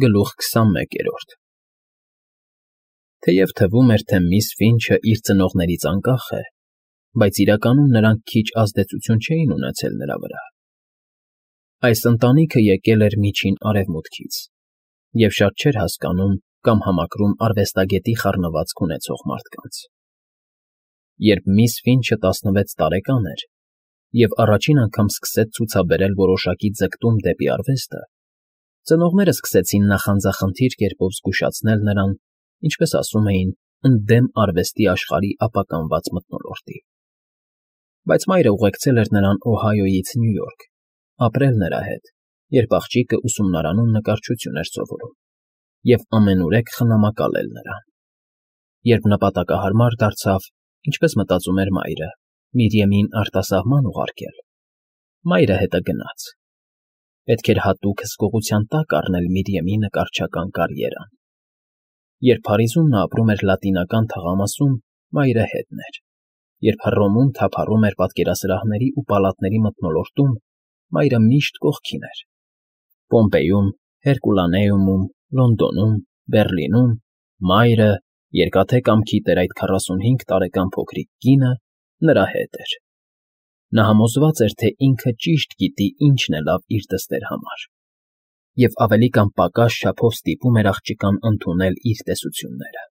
Գլուխ 21 Թեև թվում էր, թե միս Ֆինչը իր ծնողներից անկախ է, բայց իրականում նրանք քիչ ազդեցություն չէին ունեցել նրա վրա. այս ընտանիքը եկել էր Միջին Արևմուտքից և շատ չէր հասկանում կամ համակրում արվեստագետի խառնվածք ունեցող մարդկանց։ Երբ միս Ֆինչը 16 տարեկան էր և առաջին անգամ սկսեց ցուցաբերել որոշակի ձգտում դեպի արվեստը, ծնողներն սկսեցին նախանձախնդիր կերպով զգուշացնել նրան, ինչպես ասում էին, ընդդեմ արվեստի աշխարհի ապականված մթնոլորտի։ Բայց մայրը ուղեկցել էր նրան Օհայոյից Նյու Յորք, ապրել նրա հետ, երբ աղջիկը ուսումնարանում նկարչություն էր սովորում, և ամենուրեք խնամակալել նրան։ Երբ նպատակահարմար դարձավ, ինչպես մտածում էր մայրը, Միրիամին արտասահման ուղարկել, մայրը հետը գնաց։ Պետք էր հատուկ հսկողության տակ առնել Միրիամի նկարչական կարիերան։ Երբ Փարիզում նա ապրում էր Լատինական թաղամասում, մայրը հետն էր։ Երբ Հռոմում թափառում էր պատկերասրահների ու պալատների մթնոլորտում, մայրը միշտ կողքին էր։ Պոմպեյում, Հերկուլանեումում, Լոնդոնում, Բեռլինում մայրը, Երկաթե կամքի տեր այդ 45 տարեկան փոքրիկ կինը, նրա հետ էր։ Նա համոզված էր, թե ինքը ճիշտ գիտի ինչն է լավ իր դստեր համար, և ավելի կամ պակաս չափով ստիպում էր աղջկան ընդունել իր տեսությունները։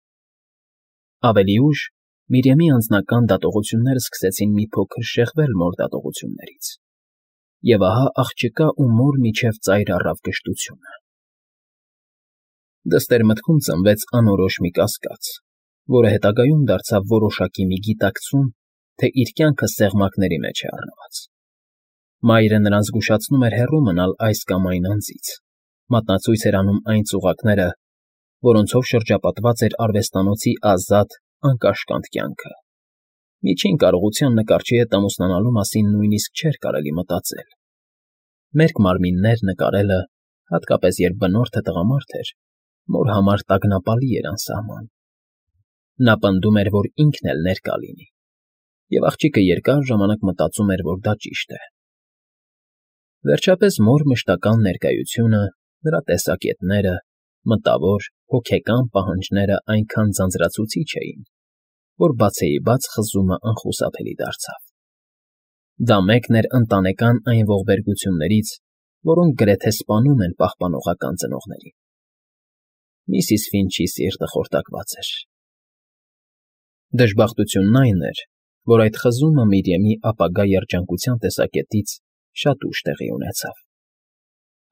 Ավելի ուշ Միրիամի անձնական դատողությունները սկսեցին մի փոքր շեղվել մոր դատողություններից, և ահա աղջկա ու մոր միջև ծայր առավ կշտությունը։ Դստեր մտքում ծնվեց անորոշ մի կասկած, որը հետագայում դարձավ որոշակի մի գիտակցում, թե իր կյանքը սեղմակների մեջ է առնված։ Մայրը նրան զգուշացնում էր հեռու մնալ այս կամ այն անձից, մատնացույց էր անում այն ծուղակները, որոնցով շրջապատված էր արվեստանոցի ազատ, անկաշկանդ կյանքը։ Միջին կարողության նկարչի հետ ամուսնանալու մասին նույնիսկ չէր կարելի մտածել։ Մերկ մարմիններ նկարելը, հատկապես երբ բնորդը տղամարդ էր, մոր համար տագնապալի էր անսահման։ Նա պնդում էր, որ ինքն էլ ներկա լինի, և աղջիկը երկար ժամանակ մտածում էր, որ դա ճիշտ է։ Վերջապես մոր մշտական ներկայությունը, նրա տեսակետները, մտավոր, հոգեկան պահանջները այնքան ձանձրացուցիչ էին, որ բացեիբաց խզումը անխուսափելի դարձավ։ Դա մեկն էր ընտանեկան այն ողբերգություններից, որոնք գրեթե սպանում են պահպանողական ծնողներին։ Միսիս Ֆինչի սիրտը խորտակված էր։ Դժբախտությունն այն էր, որ այդ խզումը Միրիամի ապագա երջանկության տեսակետից շատ ուշ տեղի ունեցավ։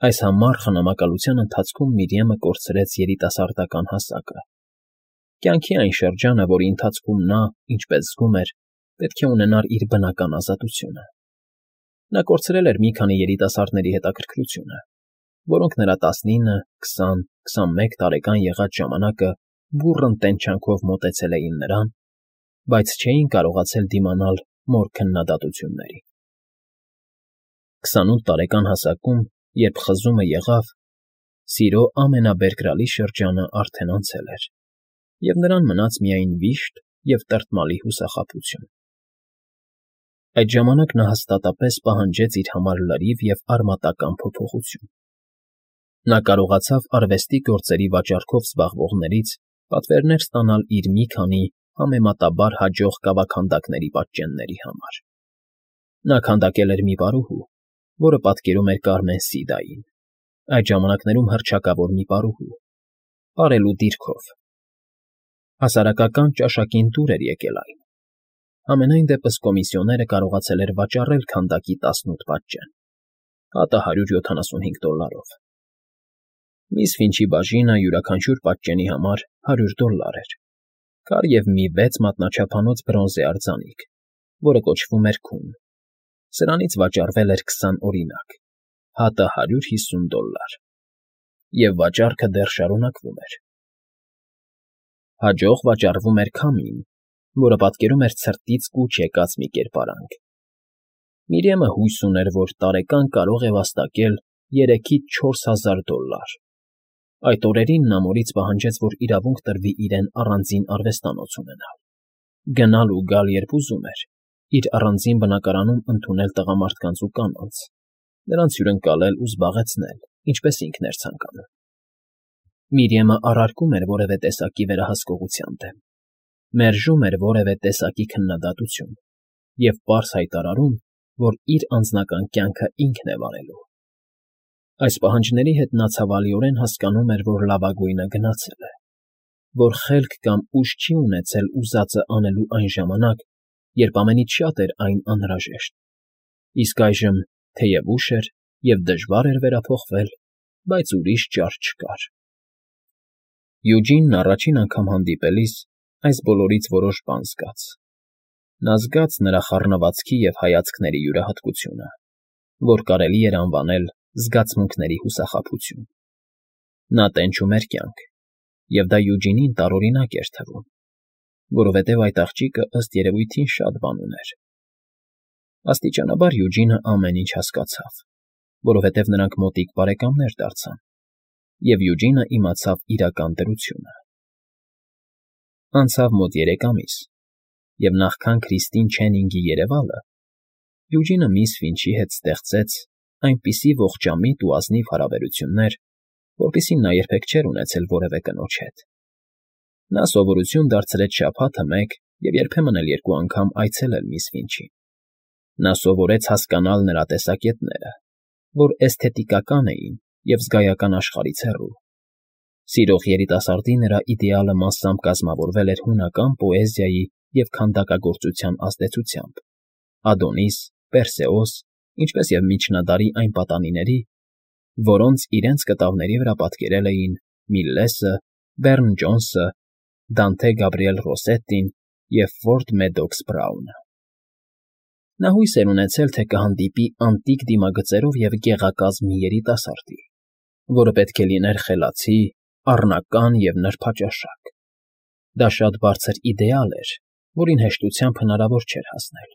Այս համառ խնամակալության ընթացքում Միրիամը կորցրեց երիտասարդական հասակը։ Կյանքի այն շրջանը, որի ընթացքում նա, ինչպես զգում էր, պետք է ունենար իր բնական ազատությունը։ Նա կորցրել էր մի քանի երիտասարդների հետաքրքրությունը, որոնք նրա 19, 20, 21 տարեկան եղած ժամանակը բուռն տենչանքով մոտեցել էին նրան, բայց չէին կարողացել դիմանալ մոր քննադատություններին։ 28 տարեկան հասակում, երբ խզումը եղավ, սիրո ամենաբերկրալի շրջանը արդեն անցել էր, և նրան մնաց միայն վիշտ և տրտմալի հուսախաբություն։ Այդ ժամանակ նա հաստատապես պահանջեց իր համար լրիվ և արմատական փոփոխություն։ Նա կարողացավ արվեստի գործերի վաճառքով զբաղվողներից պատվերներ ստանալ իր մի քանի համեմատաբար հաջող կավաքանդակների պատճենների համար։ Նա քանդակել էր մի պարուհու, որը պատկերում էր Կարմեն Սիդային, այդ ժամանակներում հռչակավոր մի պարուհու, պարելու դիրքով։ Հասարակական ճաշակին դուր էր եկել այն։ Համենայն դեպս կոմիսիոները կարողացել էր վաճառել քանդակի 18 պատճեն, հատը $175։ Միս Ֆինչի բաժինը յուրաքանչյուր պատճենի համար $100 էր, քար և մի 6 մատնաչափանոց բրոնզե արձանիկ, որը կոչվում էր քուն։ Սրանից վաճառվել էր 20 օրինակ, հատը $150, և վաճառքը դեռ շարունակվում էր։ Հաջող վաճառվում էր քամին, որը պատկերում էր ցրտից կուչ եկած մի կերպարանք։ Միրիամը հույս ուներ, որ տարեկան կարող է վաստակել $3000–4000։ Այդ օրերին նա մորից պահանջեց, որ իրավունք տրվի իրեն առանձին արվեստանոց ունենալ, գնալ ու գալ, երբ ուզում էր, իր առանձին բնակարանում ընդունել տղամարդկանց ու կանանց, նրանց հյուրընկալել ու զբաղեցնել, ինչպես ինքն էր ցանկանում։ Միրիամը առարկում էր որևէ տեսակի վերահսկողության դեմ, մերժում էր որևէ տեսակի քննադատություն և պարզ հայտարարում, որ իր անձնական կյանքը ինքն է վարելու։ Այս պահանջների հետ նա ցավալիորեն հասկանում էր, որ լավագույնը գնացել է, որ խելք կամ ուժ չի ունեցել ուզածը անելու այն ժամանակ, երբ ամենից շատ էր այն անհրաժեշտ, իսկ այժմ, թեև ուշ էր և դժվար էր վերափոխվել, բայց ուրիշ ճար չկար։ Յուջինն առաջին անգամ հանդիպելիս այս բոլորից որոշ բան զգաց։ Նա զգաց նրա խառնվածքի և հայացքների յուրահատկությունը, որ կարելի էր անվանել զգացմունքների հուսախաբություն։ Նա տենչում էր կյանք, և դա Յուջինին տարօրինակ էր թվում, որովհետև այդ աղջիկը ըստ երևույթին շատ բան ուներ։ Աստիճանաբար Յուջինը ամեն ինչ հասկացավ, որովհետև նրանք մոտիկ բարեկամներ դարձան, և Յուջինը իմացավ իրական դրությունը։ Անցավ մոտ 3 ամիս, և նախքան Քրիստին Չենինգի երևալը, Յուջինը միս Ֆինչի հետ ստեղծեց այնպիսի ողջամիտ ու ազնիվ հարաբերություններ, որպիսին նա երբեք չէր ունեցել որևէ կնոջ հետ։ Նա սովորություն դարձրեց շաբաթը մեկ և երբեմն էլ 2 անգամ այցելել միս Ֆինչին։ Նա սովորեց հասկանալ նրա տեսակետները, որ էսթետիկական էին և զգայական աշխարհից հեռու։ Սիրող երիտասարդի նրա իդեալը մասամբ կազմավորվել էր հունական պոեզիայի և քանդակագործության ազդեցությամբ. Ադոնիս, Պերսեոս, ինչպես և միջնադարի այն պատանիների, որոնց իրենց կտավների վրա պատկերել էին Միլլեսը, Բեռն Ջոնսը, Դանթե Գաբրիել Ռոսետտին և Ֆորդ Մեդոքս Բրաունը։ Նա հույս էր ունեցել, թե կհանդիպի անտիկ դիմագծերով և գեղակազմ մի երիտասարդի, որը պետք է լիներ խելացի, առնական և նրբաճաշակ։ Դա շատ բարձր իդեալ էր, որին հեշտությամբ հնարավոր չէր հասնել,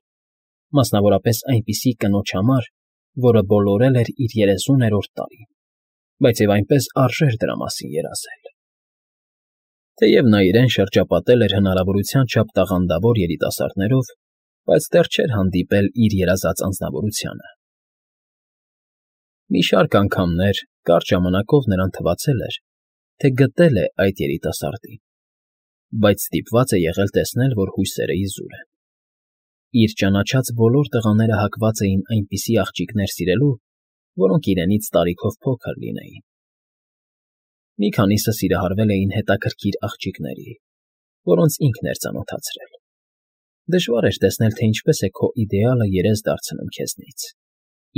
մասնավորապես այնպիսի կնոջ համար, որը բոլորել էր իր 30-րդ տարին, բայց և այնպես արժեր դրա մասին երազել։ Թեև նա իրեն շրջապատել էր հնարավորության չափ տաղանդավոր երիտասարդներով, բայց դեռ չէր հանդիպել իր երազած անձնավորությանը։ Մի շարք անգամներ կարճ ժամանակով նրան թվացել էր, թե գտել է այդ երիտասարդին, բայց ստիպված է եղել տեսնել, որ հույսերը իզուր են։ Իր ճանաչած բոլոր տղաները հակված էին այնպիսի աղջիկներ սիրելու, որոնք իրենից տարիքով փոքր լինեին։ Մի քանիսը սիրահարվել էին հետաքրքիր աղջիկների, որոնց ինքն էր ծանոթացրել։ Դժվար էր տեսնել, թե ինչպես է քո իդեալը երես դարձնում քեզնից,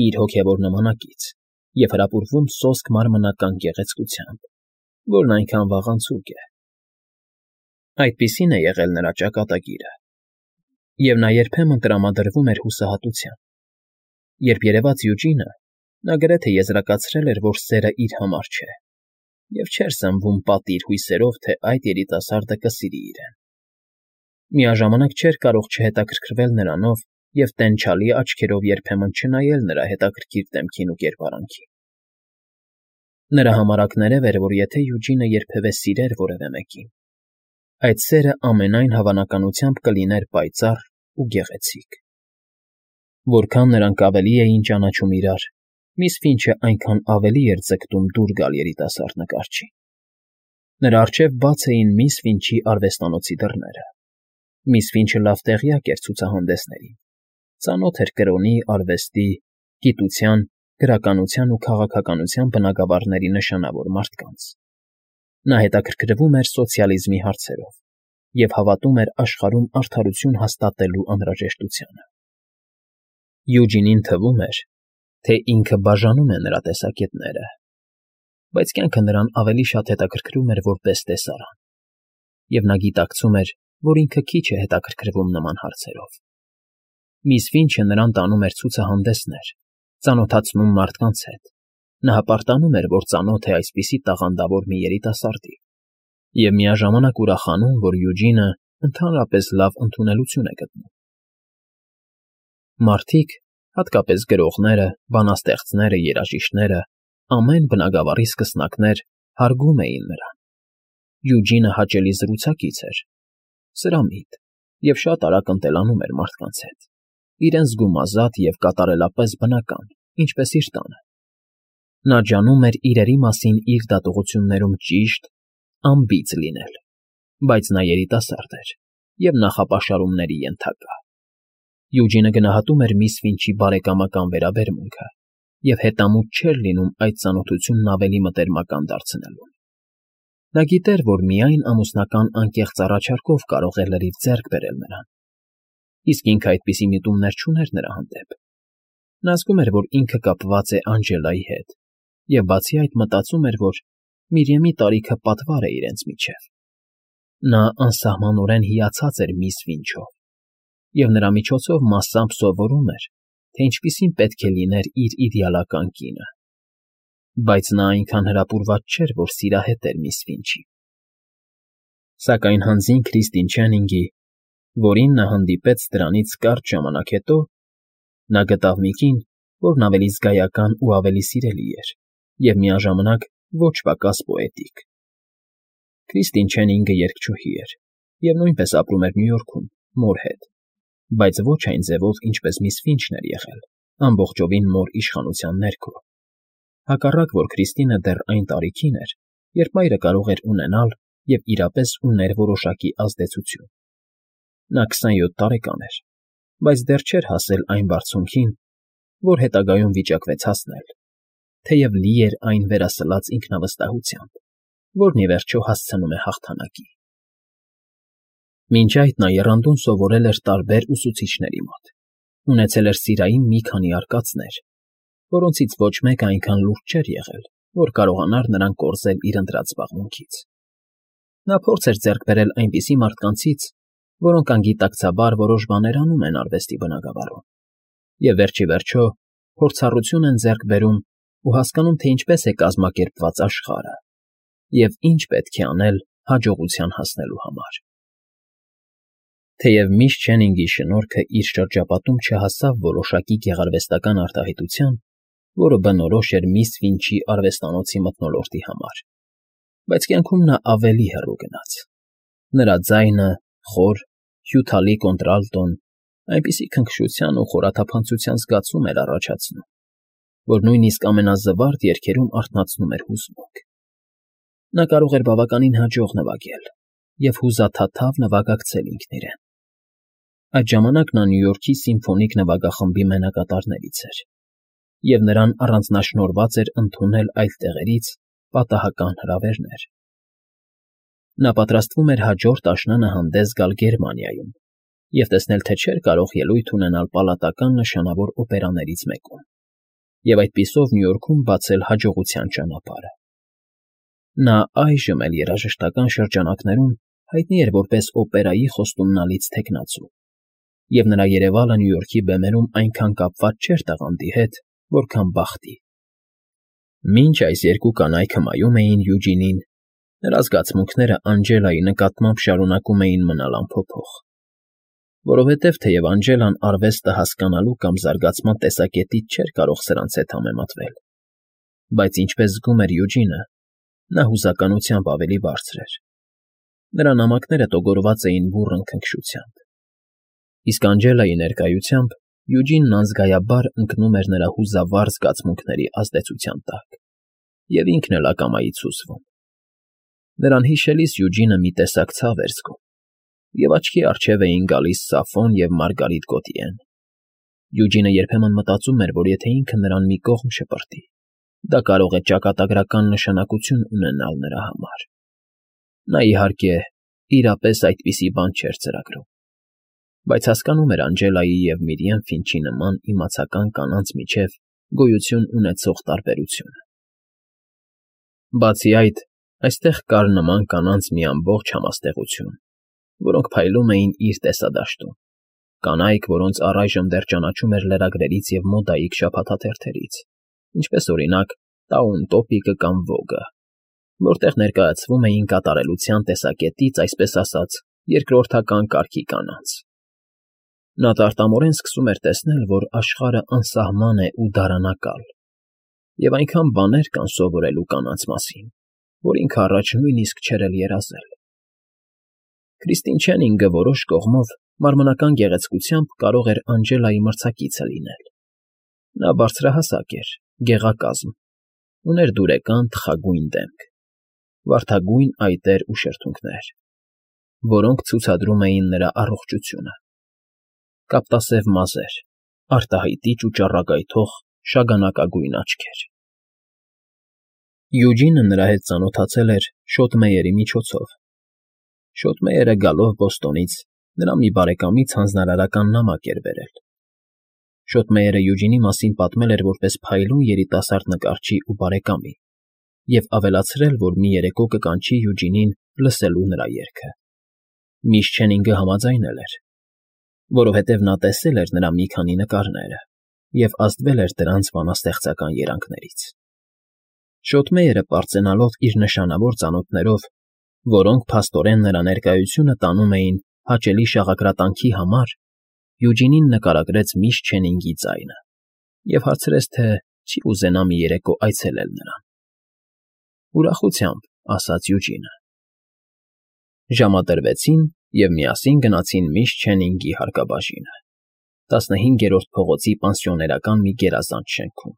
իր հոգևոր նմանակից, և հրապուրվում սոսկ մարմնական գեղեցկությամբ, որն այնքան վաղանցուկ է։ Այդպիսին է եղել նրա ճակատագիրը, և նա երբեմն տրամադրվում էր հուսահատության։ Երբ երևաց Յուջինը, նա գրեթե եզրակացրել էր, որ սերը իր համար չէ, և չէր սնվում պատիր հույսերով, թե այդ երիտասարդը կսիրի իրեն։ Միաժամանակ չէր կարող չհետաքրքրվել նրանով և տենչալի աչքերով երբեմն չնայել նրա հետաքրքիր դեմքին ու կերպարանքին։ Նրա համար ակներև էր, որ եթե Յուջինը երբևէ սիրեր որևէ մեկին, այդ սերը ամենայն հավանականությամբ կլիներ պայծառ ու գեղեցիկ։ Որքան նրանք ավելի էին ճանաչում իրար, միս Ֆինչը այնքան ավելի էր ձգտում դուր գալ երիտասարդ նկարչին։ Նրա առջև բաց էին միս Ֆինչի արվեստանոցի դռները։ Միս Ֆինչը լավ տեղյակ էր ցուցահանդեսներին, ծանոթ էր կրոնի, արվեստի, գիտության, գրականության ու քաղաքականության բնագավառների նշանավոր մարդկանց։ Նա հետաքրքրվում էր սոցիալիզմի հարցերով և հավատում էր աշխարհում արդարություն հաստատելու անհրաժեշտությանը։ Յուջինին թվում էր, թե ինքը բաժանում է նրա տեսակետները, բայց կյանքը նրան ավելի շատ հետաքրքրում էր որպես տեսարան, և նա գիտակցում էր, որ ինքը քիչ է հետաքրքրվում նման հարցերով։ Միս Ֆինչը նրան տանում էր ցուցահանդեսներ, ծանոթացնում մարդկանց հետ։ Նա հպարտանում էր, որ ծանոթ է այսպիսի տաղանդավոր մի երիտասարդի, և միաժամանակ ուրախանում, որ Յուջինը ընդհանրապես լավ ընդունելություն է գտնում։ Մարդիկ, հատկապես գրողները, բանաստեղծները, երաժիշտները, ամեն բնագավառի սկսնակներ հարգում էին նրան։ Յուջինը հաճելի զրուցակից էր, սրամիտ և շատ արագ ընտելանում էր մարդկանց հետ, իրեն զգում ազատ և կատարելապես բնական, ինչպես իր տանը։ Նա ջանում էր իրերի մասին իր դատողություններում ճիշտ անբիծ լինել, բայց նա երիտասարդ էր և նախապաշարումների ենթակա։ Յուջինը գնահատում էր միս Ֆինչի բարեկամական վերաբերմունքը և հետամուտ չէր լինում այդ ծանոթությունն ավելի մտերմական դարձնելուն։ Նա գիտեր, որ միայն ամուսնական անկեղծ առաջարկով կարող է լրիվ ձեռք բերել նրան, իսկ ինքը այդպիսի միտումներ չուներ նրա հանդեպ։ Նա զգում էր, որ ինքը կապված է Անջելայի հետ, և բացի այդ մտածում էր, որ Միրիամի տարիքը պատվար է իրենց միջև։ Նա անսահմանորեն հիացած էր միս Ֆինչով և նրա միջոցով մասամբ սովորում էր, թե ինչպիսին պետք է լիներ իր իդեալական կինը։ Բայց նա այնքան հրապուրված չէր, որ սիրահետեր միս Ֆինչին։ Սակայն հանձին Քրիստին Չենինգի, որին նա հանդիպեց դրանից կարճ ժամանակ հետո, նա գտավ մի կին, որն ավելի զգայական ու ավելի սիրելի էր և միաժամանակ ոչ պակաս պոետիկ։ Քրիստին Չենինգը երգչուհի էր և նույնպես ապրում էր Նյու Յորքում մոր հետ, բայց ոչ այն ձևով, ինչպես միս Ֆինչն էր եղել, ամբողջովին մոր իշխանության ներքո։ Հակառակ, որ Քրիստինը դեռ այն տարիքին էր, երբ մայրը կարող էր ունենալ և իրապես ուներ որոշակի ազդեցություն։ Նա 27 տարեկան էր, բայց դեռ չէր հասել այն բարձունքին, որ հետագայում վիճակվեց հասնել, թեև լի էր այն վերասլած ինքնավստահությամբ, որն ի վերջո հասցնում է հաղթանակի։ Մինչ այդ նա եռանդուն սովորել էր տարբեր ուսուցիչների մոտ, ունեցել էր սիրային մի քանի արկածներ, որոնցից ոչ մեկը այնքան լուրջ չէր եղել, որ կարողանար նրան կորզել իր ընտրած զբաղմունքից։ Նա փորձ էր ձեռք բերել այնպիսի մարդկանցից, որոնք անգիտակցաբար որոշ բաներ անում են արվեստի բնագավառում, և վերջ ի վերջո փորձառություն են ձեռք բերում ու հասկանում, թե ինչպես է կազմակերպված աշխարհը և ինչ պետք է անել հաջողության հասնելու համար։ Թեև միս Չենինգի շնորհքը իր շրջապատում չհասավ որոշակի գեղարվեստական արտահայտության, որը բնորոշ էր միս Ֆինչի արվեստանոցի մթնոլորտի համար, բայց կյանքում նա ավելի հեռու գնաց։ Նրա ձայնը, խոր, հյութալի կոնտրալտոն, այնպիսի քնքշության ու խորաթափանցության զգացում էր առաջացնում, որ նույնիսկ ամենազվարթ երգերում արթնացնում էր հուզմունք։ Նա կարող էր բավականին հաջող նվագել և հուզաթաթավ նվագակցել ինքն իրեն։ Այդ ժամանակ նա Նյու Յորքի սիմֆոնիկ նվագախմբի մենակատարներից էր, և նրան առանձնաշնորհված էր ընդունել այլ տեղերից պատահական հրավերներ։ Նա պատրաստվում էր հաջորդ աշնանը հանդես գալ Գերմանիայում և տեսնել, թե չէր կարող ելույթ ունենալ պալատական նշանավոր օպերաներից մեկում և այդպիսով Նյու Յորքում բացել հաջողության ճանապարհը։ Նա այժմ էլ երաժշտական շրջանակներում հայտնի էր որպես օպերայի խոստումնալից թեկնածու, և նրա երևալը Նյու Յորքի բեմերում այնքան կապված չէր տաղանդի հետ, որքան բախտի։ Մինչ այս երկու կանայք հմայում էին Յուջինին, նրա զգացմունքները Անջելայի նկատմամբ շարունակում էին մնալ անփոփոխ, որովհետև թեև Անջելան արվեստը հասկանալու կամ զարգացման տեսակետից չէր կարող սրանց հետ համեմատվել, բայց ինչպես զգում էր Յուջինը, նա հուզականությամբ ավելի բարձր էր։ Նրա նամակները տոգորված էին բուռն քնքշությամբ, իսկ Անջելայի ներկայությամբ Յուջինն անզգայաբար ընկնում էր նրա հուզավառ զգացմունքների ազդեցության տակ, և ինքն էլ ակամայից հուզվում։ Նրան հիշելիս Յուջինը մի տեսակ ցավ էր զգում, և աչքի առջև էին գալիս Սաֆոն և Մարգարիտ Գոտիեն։ Յուջինը երբեմն մտածում էր, որ եթե ինքը նրան մի կողմ շպրտի, դա կարող է ճակատագրական նշանակություն ունենալ նրա համար։ Նա, իհարկե, իրապես այդպիսի բան չէր ծրագրում, բայց հասկանում էր Անջելայի և Միրիամ Ֆինչի նման իմացական կանանց միջև գոյություն ունեցող տարբերությունը։ Բացի այդ, այստեղ կար նման կանանց մի ամբողջ համաստեղություն, որոնք փայլում էին իր տեսադաշտում, կանայք, որոնց առայժմ դեռ ճանաչում էր լրագրերից և մոդայիկ շաբաթաթերթերից, ինչպես օրինակ Տաուն Տոպիկը կամ Վոգը, որտեղ ներկայացվում էին կատարելության տեսակետից, այսպես ասած, երկրորդական կարգի կանանց։ Նա տարտամորեն սկսում էր տեսնել, որ աշխարհը անսահման է ու դարանակալ, և այնքան բաներ կան սովորելու կանանց մասին, որ ինքը առաջ նույնիսկ չէր էլ երազել։ Քրիստին Չենինգը որոշ կողմով մարմնական գեղեցկությամբ կարող էր Անջելայի մրցակիցը լինել։ Նա բարձրահասակ էր, գեղակազմ, ուներ դուրեկան թխագույն դեմք, վարդագույն այտեր ու շրթունքներ, որոնք ցուցադրում էին նրա առողջությունը, կապտասև մազեր, արտահայտիչ ու ճառագայթող շագանակագույն աչքեր։ Յուջինը նրա հետ ծանոթացել էր Շոթմեյերի միջոցով։ Շոթմեյերը գալով Բոստոնից նրա մի բարեկամից հանձնարարական նամակ էր բերել։ Շոթմեյերը Յուջինի մասին պատմել էր որպես փայլուն երիտասարդ նկարչի ու բարեկամի և ավելացրել, որ մի երեկո կկանչի Յուջինին լսելու նրա երգը։ Միս Չենինգը համաձայնել էր, որովհետև նա տեսել էր նրա մի քանի նկարները և ազդվել էր դրանց բանաստեղծական երանգներից։ Շոթմեյերը պարծենալով իր նշանավոր ծանոթներով, որոնք փաստորեն նրա ներկայությունը տանում էին հաճելի շաղակրատանքի համար, Յուջինին նկարագրեց միս Չենինգի ձայնը և հարցրեց, թե չի ուզենա մի երեկո այցելել նրան։ Ուրախությամբ, ասաց Յուջինը։ Ժամադրվեցին և միասին գնացին միս Չենինգի հարկաբաժինը, 15-րդ փողոցի պանսիոներական մի գերազանց շենքում։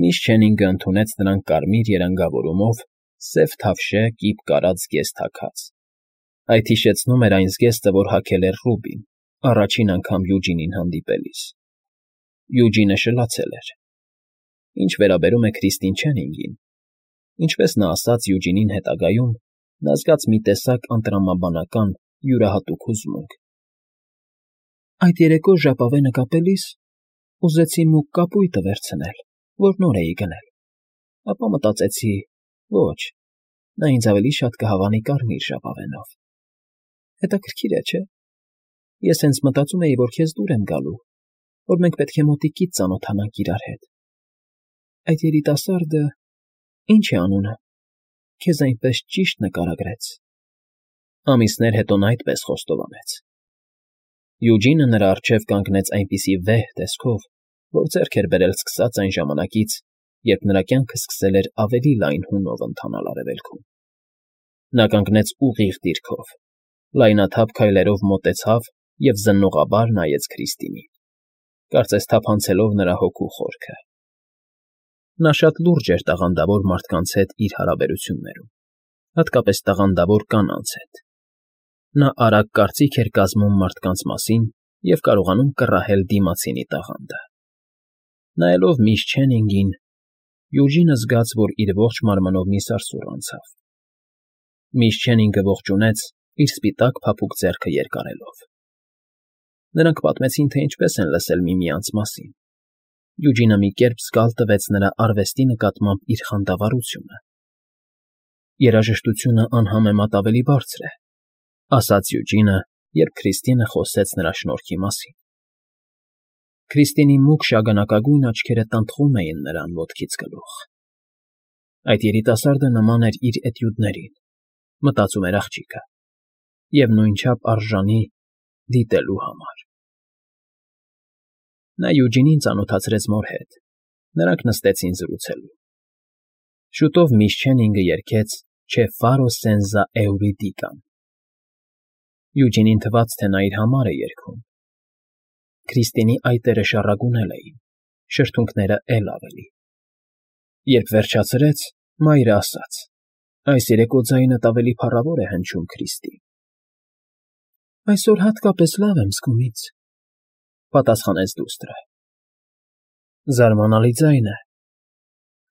Միս Չենինգը ընդունեց նրան կարմիր երանգավորումով սև թավշե կիպ կարած զգեստ հագած։ Այդ հիշեցնում էր այն զգեստը, որ հագել էր Ռուբին, առաջին անգամ Յուջինին հանդիպելիս։ Յուջինը շլացել էր։ Ինչ վերաբերում է Քրիստին Չենինգին, ինչպես նա ասաց Յուջինին հետագայում, նա զգաց մի տեսակ անտրամաբանական յուրահատուկ հուզմունք։ Այդ երեկո ժապավենը կապելիս ուզեցի մուգ կապույտը վերցնել, որ նոր էի գնել, ապա մտածեցի. ոչ, նա ինձ ավելի շատ կհավանի կարմիր ժապավենով։ Հետաքրքիր է, չէ՞։ Ես հենց մտածում էի, որ քեզ դուր եմ գալու, որ մենք պետք է մոտիկից ծանոթանանք իրար հետ։ Այդ երիտասարդը, ի՞նչ է անունը, քեզ այնպես ճիշտ նկարագրեց։ Ամիսներ հետո նա այդպես խոստովանեց։ Յուջինը նրա առջև կանգնեց այնպիսի վեհ տեսքով, որ ձեռք էր բերել սկսած այն ժամանակից, երբ նրա կյանքը սկսել էր ավելի լայն հունով ընթանալ արևելքում։ Նա կանգնեց ուղիղ դիրքով, լայնաթափ քայլերով մոտեցավ և զննողաբար նայեց Քրիստինին, կարծես թափանցելով նրա հոգու խորքը։ Նա շատ լուրջ էր տաղանդավոր մարդկանց հետ իր հարաբերություններում, հատկապես տաղանդավոր կանանց հետ։ Նա արագ կարծիք էր կազմում մարդկանց մասին և կարողանում կռահել դիմացինի տաղանդը։ Նայելով միս Չենինգին, Յուջինը զգաց, որ իր ողջ մարմնով մի սարսուռ անցավ։ Միս Չենինգը ողջունեց, իր սպիտակ փափուկ ձեռքը երկարելով։ Նրանք պատմեցին, թե ինչպես են լսել միմյանց մասին։ Յուջինը մի կերպ զգալ տվեց նրա արվեստի նկատմամբ իր խանդավառությունը։ Երաժշտությունը անհամեմատ ավելի բարձր է, ասաց Յուջինը, երբ Քրիստինը խոսեց նրա շնորհքի մասին։ Քրիստինի մուգ շագանակագույն աչքերը տնտղում էին նրան ոտքից գլուխ։ Այդ երիտասարդը նման էր իր էտյուդներին, մտածում էր աղջիկը, և նույնչափ արժանի դիտելու համար։ Նա Յուջինին ծանոթացրեց մոր հետ, նրանք նստեցին զրուցելու։ Շուտով միս Չենինգը երգեց «Չէ ֆարո սենզա էուրիդիկան»։ Յուջինին թվաց, թե նա իր համար է երգում։ Քրիստինի այտերը շառագունել էին, շրթունքները էլ ավելի։ Երբ վերջացրեց, մայրը ասաց. «Այս երեկո ձայնդ ավելի փառավոր է հնչում, Քրիստի»։ Այսօր հատկապես լավ եմ զգում ինձ, պատասխանեց դուստրը։ Զարմանալի ձայն է,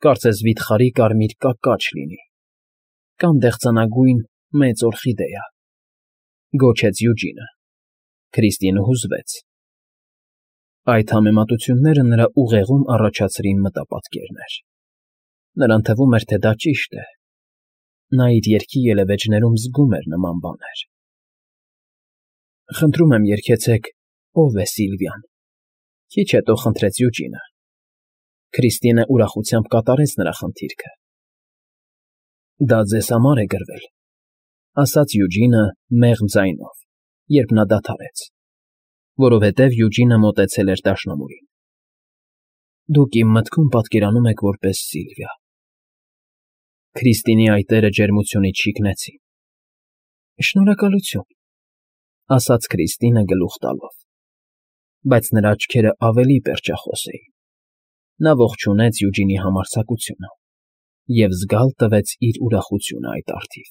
կարծես վիթխարի կարմիր կակաչ լինի, կամ դեղցանագույն մեծ օրխիդեա, գոչեց Յուջինը։ Քրիստինը հուզվեց։ Այդ համեմատությունները նրա ուղեղում առաջացրին մտապատկերներ։ Նրան թվում էր, թե դա ճիշտ է։ Նա իր երգի ելևէջներում զգում էր նման բաներ։ Խնդրում եմ երգեցեք «Ով է Սիլվիան»։ Քիչ հետո խնդրեց Յուջինը։ Քրիստինը ուրախությամբ կատարեց նրա խնդիրքը։ Դա ձեզ համար է գրվել, ասաց Յուջինը մեղմ ձայնով, երբ նա դադարեց, որովհետև Յուջինը մոտեցել էր դաշնամուրին։ Դուք իմ մտքում պատկերանում եք որպես Սիլվիա։ Քրիստինի այտերը ջերմությունից շիկնեցին։ Շնորհակալություն, ասաց Քրիստինը գլուխ տալով, բայց նրա աչքերը ավելի պերճախոս էին։ Նա ողջունեց Յուջինի համարձակությունը։ և զգալ տվեց իր ուրախությունը այդ առթիվ։